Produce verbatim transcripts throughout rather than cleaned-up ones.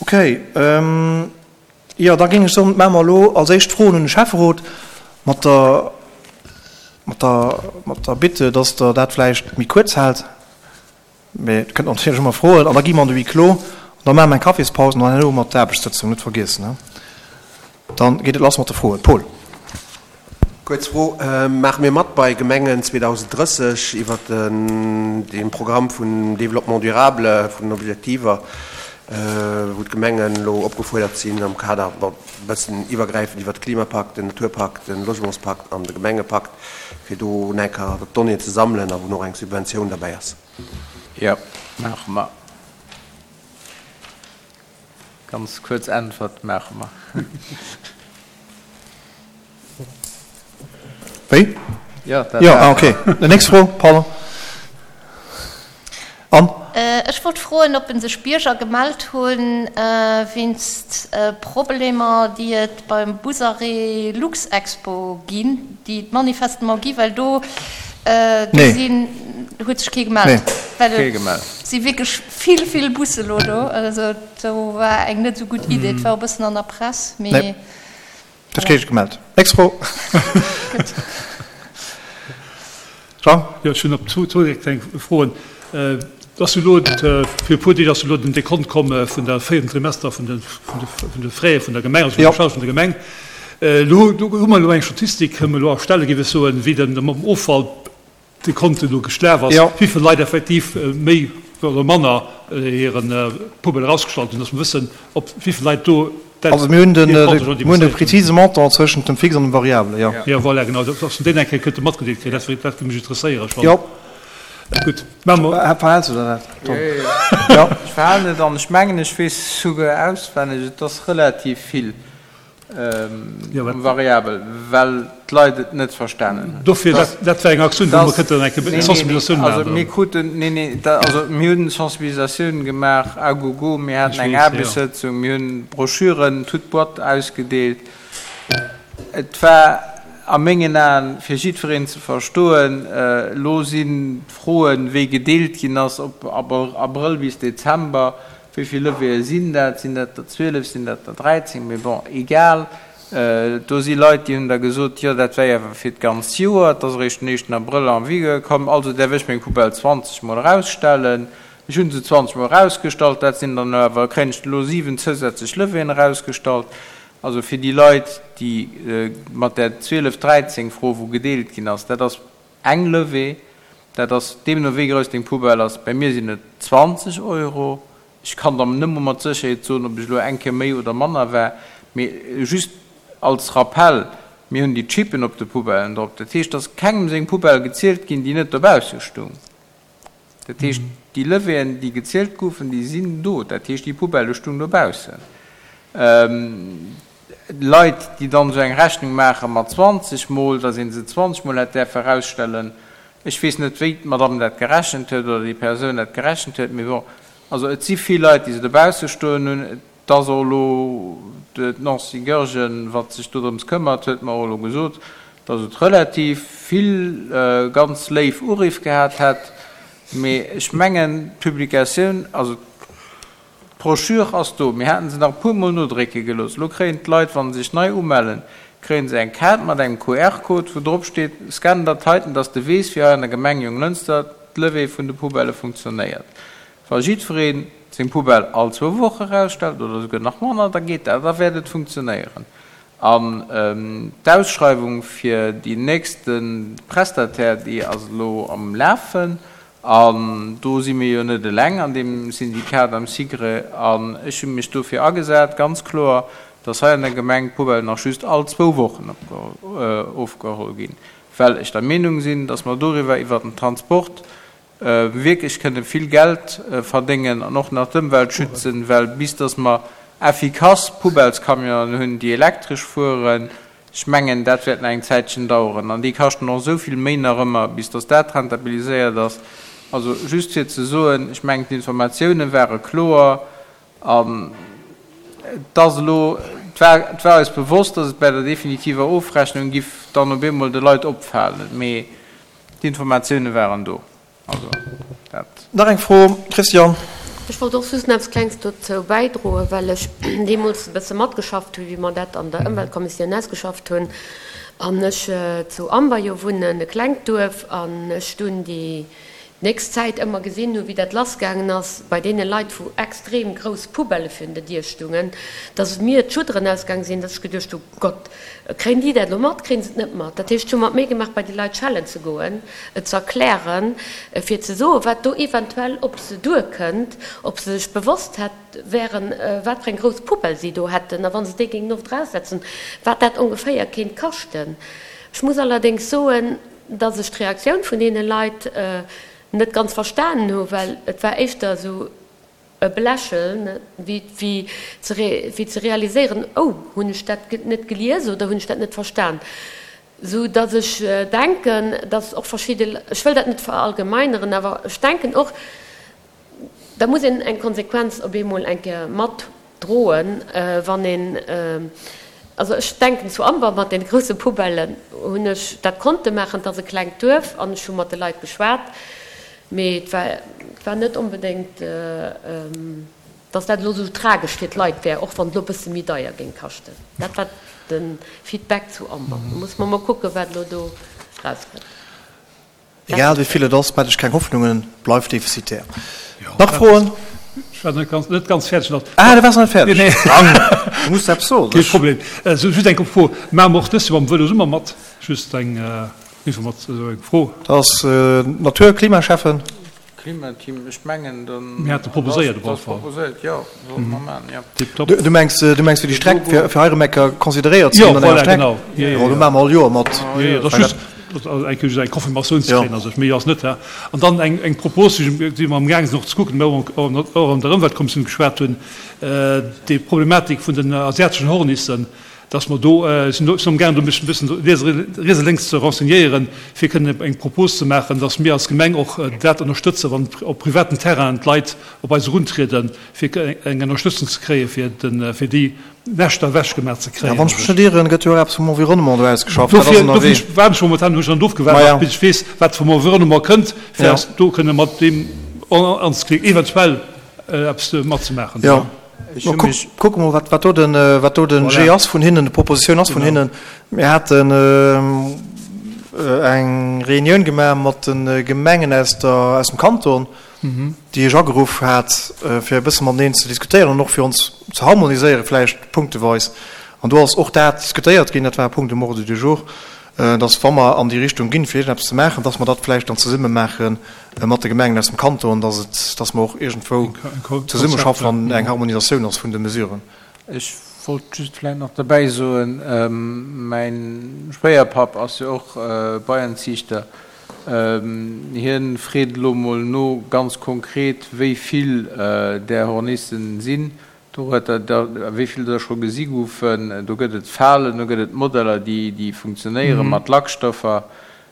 Okay, jo, da géing ech soen, maache mer elo als éischt d'Froen un de Schäfferot mat der, mat der, mat der Bitte, dass Der dat vläicht méi kuerz haalt. Mee Der kënnt natierlech ëmmer froen. An da gi mer an de Huis clos an da maache mer eng Kaffispaus an dann herno mat der Aarbechtssëtzung, net vergiessen, he. Dann geet et lass mat de Froen. Paul. Kuerz Fro, Maache mir mat bei Gemengen zweedausend drësseg iwwer dee Programm vun Développement durable, vun den Objektiver, wou d'Gemengen elo opgefuerdert sinn am Kader, bon, e bëssen iwwergräifend iwwer de Klimapakt, den Naturpakt, den Logementspakt an de Gemengepakt, fir do eng Kéier d'Donnéeën ze sammelen a wou och eng Subventioun derbäi ass? Jo, maache mer. Ganz kuerz Äntwert, maache mer. Wéi? Jo, dat Jo, ah, maache okay. mer. Déi nächst Fro, pardon. Anne? Ech wollt froen, ob sech Bierger gemellt hunn wéinst Problemer, déi et beim Busarrêt Luxexpo ginn, déi et manifestement gi, well do do Nee. sinn, huet sech kee Nee. gemellt, well Kee et gemellt. si wierklech vill, vill Busse lo do. Also do war eng net esou gutt Idee. Et war e bëssen an der Press, Nee. mee Dat voilà. kee gemellt. Nächst Fro. Gutt. Jean? Jo, ech hunn op zwou zwou kleng Froen. Et ass jo elo, fir e puer Deeg ass jo elo den Dekont komm vun der véierten Trimester vun de vun de vun de Frais vun der Gemeng, also vun Jo. der Charge vun der Gemeng. Elo do hu mer elo eng Statistik, kënnen mer elo erstellen, géif ech soen, wéi den mam Offall Dekont elo geschlaf ass, Jo. wéi vill Leit effektiv méi oder manner hiren Poubelle erausgestallt hunn, dass mer wëssen, ob wéi vill Leit do dat Also mir hunn den, hir Compte schon mir hunn de dépasséiert hunn. prezise Montant zwëschent dem Fixe an dem Variable, jo. Jo, voilà, genau, dass mer deen eng Kéier könnte matgedeelt kréien, dat dat géif mech interesséieren schonn. Jo. Gutt, maache mer. Verhältst du der dat, Tom? Jo, jo, jo. Jo. Ech verhalen et an ech mengen, ech weess souguer auswenneg, et ass relativ vill Jo, wat? um Variabel, well d'Leit et net verstanen hunn. Dofir, Dass, dat, dat war eng Aktioun, wou mer dass, kënnten eng nee, nee, nee, Sensibilisatioun also maachen. mir kruten, nee, nee, da, also mir hunn Sensibilisatioun gemaach à gogo, mir haten Ech eng weess, jo. Aarbechtssëtzung, mir hunn Broschüren, toute boîte ausgedeelt. Et war a mengen Aen fir jiddwereen ze verstoen. Elo sinn d'Froen, wéi gedeelt ginn ass, ob Abrëll bis Dezember, wéi vill Levéeë sinn dat, sinn dat der zwielef, sinn dat der dräizéng, mee bon, egal. Do si Leit, déi hunn da gesot, jo dat wär awer fir d'ganzt Joer, et ass eréischt den éischten Abrëll en vigueur komm, also däerf ech meng Poubelle zwanzeg Mol erausstellen. Ech hu se zwanzeg Mol erausgestallt, dat sinn dann awer, kréien ech elo siwen zousätzlech Levéeën erausgestallt. Also fir déi Leit, déi mat där zwielef, dräizéng Fro, wou gedeelt ginn ass, dat ass eng Levée, dat ass deemno wéi grouss deng Poubelle ass. Bei mir sinn et zwanzeg Euro. Ech kann der net mol mat Sécherheet soen, ob ech elo eng Kéier méi oder manner war, mee just als Rappell, mir hunn déi Chippen op de Poubellen drop. Dat heescht, dass kengem seng Poubelle gezielt ginn, déi net dobausse stung. Dat heescht, déi Levéeën, déi gezielt goufen, déi sinn do. Dat heescht, déi Poubelle stung dobaussen. Leit, déi dann esou eng Rechnung maache mat zwanzeg Mol, dass ee se zwanzeg Mol hätt däerfe erausstellen, ech weess net, wéi d'Madame dat gerechent huet oder déi Persoun dat gerechent huet, mee bon, also et si vill Leit, déi se dobausse stoen hunn. Et ass och elo d'Nancy Goergen, wat sech dodrëms këmmert, huet mer och elo gesot, dass et relativ vill ganz léif Uriff gehat hätt. Mee ech mengen, d'Publikatioun, also d'Broschür ass do. Mir haten se nach e puermol nodrécke gelooss. Elo kréien d'Leit, wa se sech nei umellen, kréie se eng Kaart mat engem Q R-Code, wou drop steet, Scan dat heiten, dass de weess, wéi hei an der Gemeng Jonglënster d'Levée vun de Poubellë funktionéiert. Wa jiddweree seng Poubelle all zwou Woche erausstellt oder esouguer nach manner, da geet dat, da wäert et funktionéieren. An d'Ausschreiwung fir déi nächste Prestataire, déi ass elo am Lafen. An do si mir jo net eleng an deem Syndikat am SIGRE. An ech hu mech dofir agesat, ganz kloer, dass hei an der Gemeng d'Poubelle nach just all zwou Wochen ofgeholl ginn, well ech der Meenung sinn, dass mer doriwwer iwwert den Transport wierklech kënne vill Geld verdéngen an och nach d'Ëmwelt schützen, well bis dass mer effikass Poubellescamionen hunn, déi elektresch fueren, ech mengen, dat wäert nach eng Zäitchen daueren an déi kaschten och esou vill méi nach ëmmer, bis dass dat rentabiliséiert ass. Also just fir ze soen, ech mengen, d'Informatiounen ware kloer an et ass elo, et war, et war eis bewosst, dass et bei der definitiver Ofrechnung giff dann op eemol de Leit opfalen, mee d'Informatiounen waren do. Also dat. Nach eng Fro, Christian. Ech wollt och just nach eppes Klengs dozou bäidroen, well ech deemools e bësse matgeschafft hunn, wéi mer dat an der Ëmweltkommissioun ausgeschafft hunn. An ech zu Amber jo wunnen, e klengt Duerf, an ech dunn déi nächst Zäit ëmmer gesinn hunn, wéi dat lassgaangen ass bei deene Leit, wou extrem grouss Poubellë virun der Dier stungen, dass mir d'Schudderen ausgaang sinn, dass ech geduecht hu, Gott, kréien déi dat elo mat, kréien se et net mat? Dat heescht, ech hu mer d'Méi gemaach, bei déi Leit schellen ze goen, et ze erklären, fir ze soen, wat do eventuell op se duerkënnt, ob se sech bewosst hätt wären, wat fir eng grouss Poubelle si do hätten a wa se déi géingen oft eraussetzen, wat dat ongeféier kéint kaschten. Ech muss allerdéngs soen, dass ech d'Reaktioun vun deene Leit net ganz verstanen hu, well et war éischter esou e Belächeln, wéi ze realiséieren, Oh, hunn ech dat net gelies oder hunn ech dat net verstan? Sou dass ech denken, dass och verschidde, ech wëll dat net verallgemeineren, awer ech denken och, da muss een eng Konsequenz op eemol eng Kéier mat droen, wann een, also ech denken zu Amber mat deene grousse Poubellen hunn ech dat konnte maachen, et ass e klengt Duerf an ech hu mat de Leit geschwat, mee et war, et war net onbedéngt, datt dat elo esou tragesch fir d'Leit wär, och wann et elo e bësse méi deier géing kaschten. Dat war de Feedback zu Amber. Da musse mer mol kucken, wat elo do erauskënnt. Egal wéi vill et ass, maacht Iech keng Hoffnungen, bleift defizitär. Nach Froen? Ech war net ganz, net ganz fäerdeg nach. Ah, du waars nach net fäerdeg. Nee, nee. Dann, du muss eppes soen. Kee Problem. Just eng Fro, Maache mer och dëst Joer mam Vëlo Summer mat? Just eng Informat, also eng Fro. Dat ass Natur-, Klimaschäffen. Klimateam, ech mengen, dann. Mir hate proposéiert op alle Fall. Proposéiert, jo, sollte mer maachen, jo. Tiptop. Du mengs, du mengs fir déi Streck, fir fir hei erëm eng Kéier consideréiert ze ginn an enger Voilà, Streck? genau. Jo, jo, Jo, do jo. maache mer all Joer mat. Jo, jo, dat ass just, dat ass eng Kéier just eng Confirmatioun ze kréien, also méi ass net, hä. An dann eng, eng Propos, déi déi mer amgaang sinn och ze kucken, déi mer och och an der Ëmweltkommissioun geschwat hunn, déi Problematik vun den asiateschen Hornissen. dass mer do, ech sinn amgaangen do mech e bëssen riets a lénks ze renseignéieren, fir kënnen eng Propos ze maachen, dass mir als Gemeng och dat ënnerstëtzen, wann op privaten Terrainen d'Leit op eis eruntrieden, fir eng Ënnerstëtzung ze kréien, fir de, fir déi Näschter ewechgemaach ze kréien. Wann ech mech net ieren, gëtt jo och eppes vum Environnement do ausgeschafft. Dat ass Dofir, ënnerwee. dofir waarden ech momentan, hunn ech dann ofgewaart, Maja. bis ech weess, wat vum Environnement kënnt, fir Ja. eis do kënne mat deem anzeklicken, eventuell eppes matzemaachen. Jo. Ech hu mech. Kucke mol, wat do den, wat do den G ass vun hinnen, d'Propositioun ass vun hinnen. Mir haten eng Reunioun gemaach mat de Gemengen aus der, aus dem Kanton, déi ech ageruff hat, fir e bësse mateneen ze diskutéieren an och fir ons ze harmoniséiere vläicht punkteweis. An do ass och dat diskutéiert ginn, dat war e Punkt um Ordre du jour, dass wa mer an déi Richtung ginn, fir iergendeppes ze maachen, dass mer dat vläicht dann zesumme maache mat de Gemengen aus dem Kanton, dass et, dass mer och iergendwou zesummeschaffen an eng Harmonisatioun ass vun de Mesuren. Ech wollt just vläicht nach derbäi soen, mäin Schwéierpapp ass jo och Beienziichter, hien freet elo mol no ganz konkret, wéi vill där Hornissen sinn. Do huet Der der, wéi vill der scho gesi goufen, do gëtt et Falen, do gëtt et Modeller, déi, déi funktionéiere mat Lackstoffer,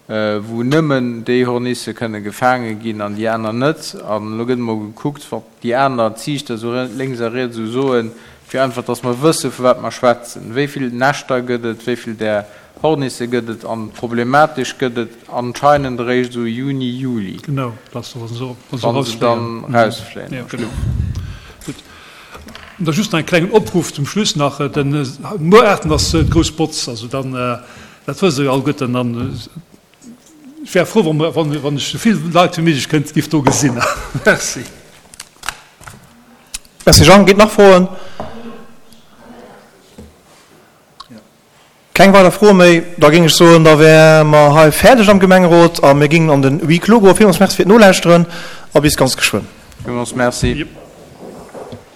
wou nëmmen déi Hornisse kënne gefaange ginn an déi aner net. An elo gëtt emol gekuckt, wat déi aner Ziichter esou lénks a riets esou soen, fir einfach, dass mer wësse vu wat mer schwätzen. Wéi vill Näschter gëtt et, wéi vill där Hornisse gëtt et an problematesch gëtt et anscheinend eréischt esou Juni, Juli. Genau, dass wa se Wa se dann erausfléien. Jo, genau. Gutt. An da just nach e klengen Opruff zum Schluss nach, Den muer aachten ass d'grouss Botz, also dann, dat wësst Der jo alleguerten. An ech wär frou, wa wann ech esou vill Leit wéi méiglech kënnt giff do gesinn. Merci. Merci Jean. Ginn et nach Froen? Keng weider Froe méi? Da géing ech soen, da wäre mer hei fäerdeg am Gemengerot a mir géingen an den Huis clos goen. Villmools Merci fir d'Nolauschteren a bis ganz geschwënn. Villmools Merci.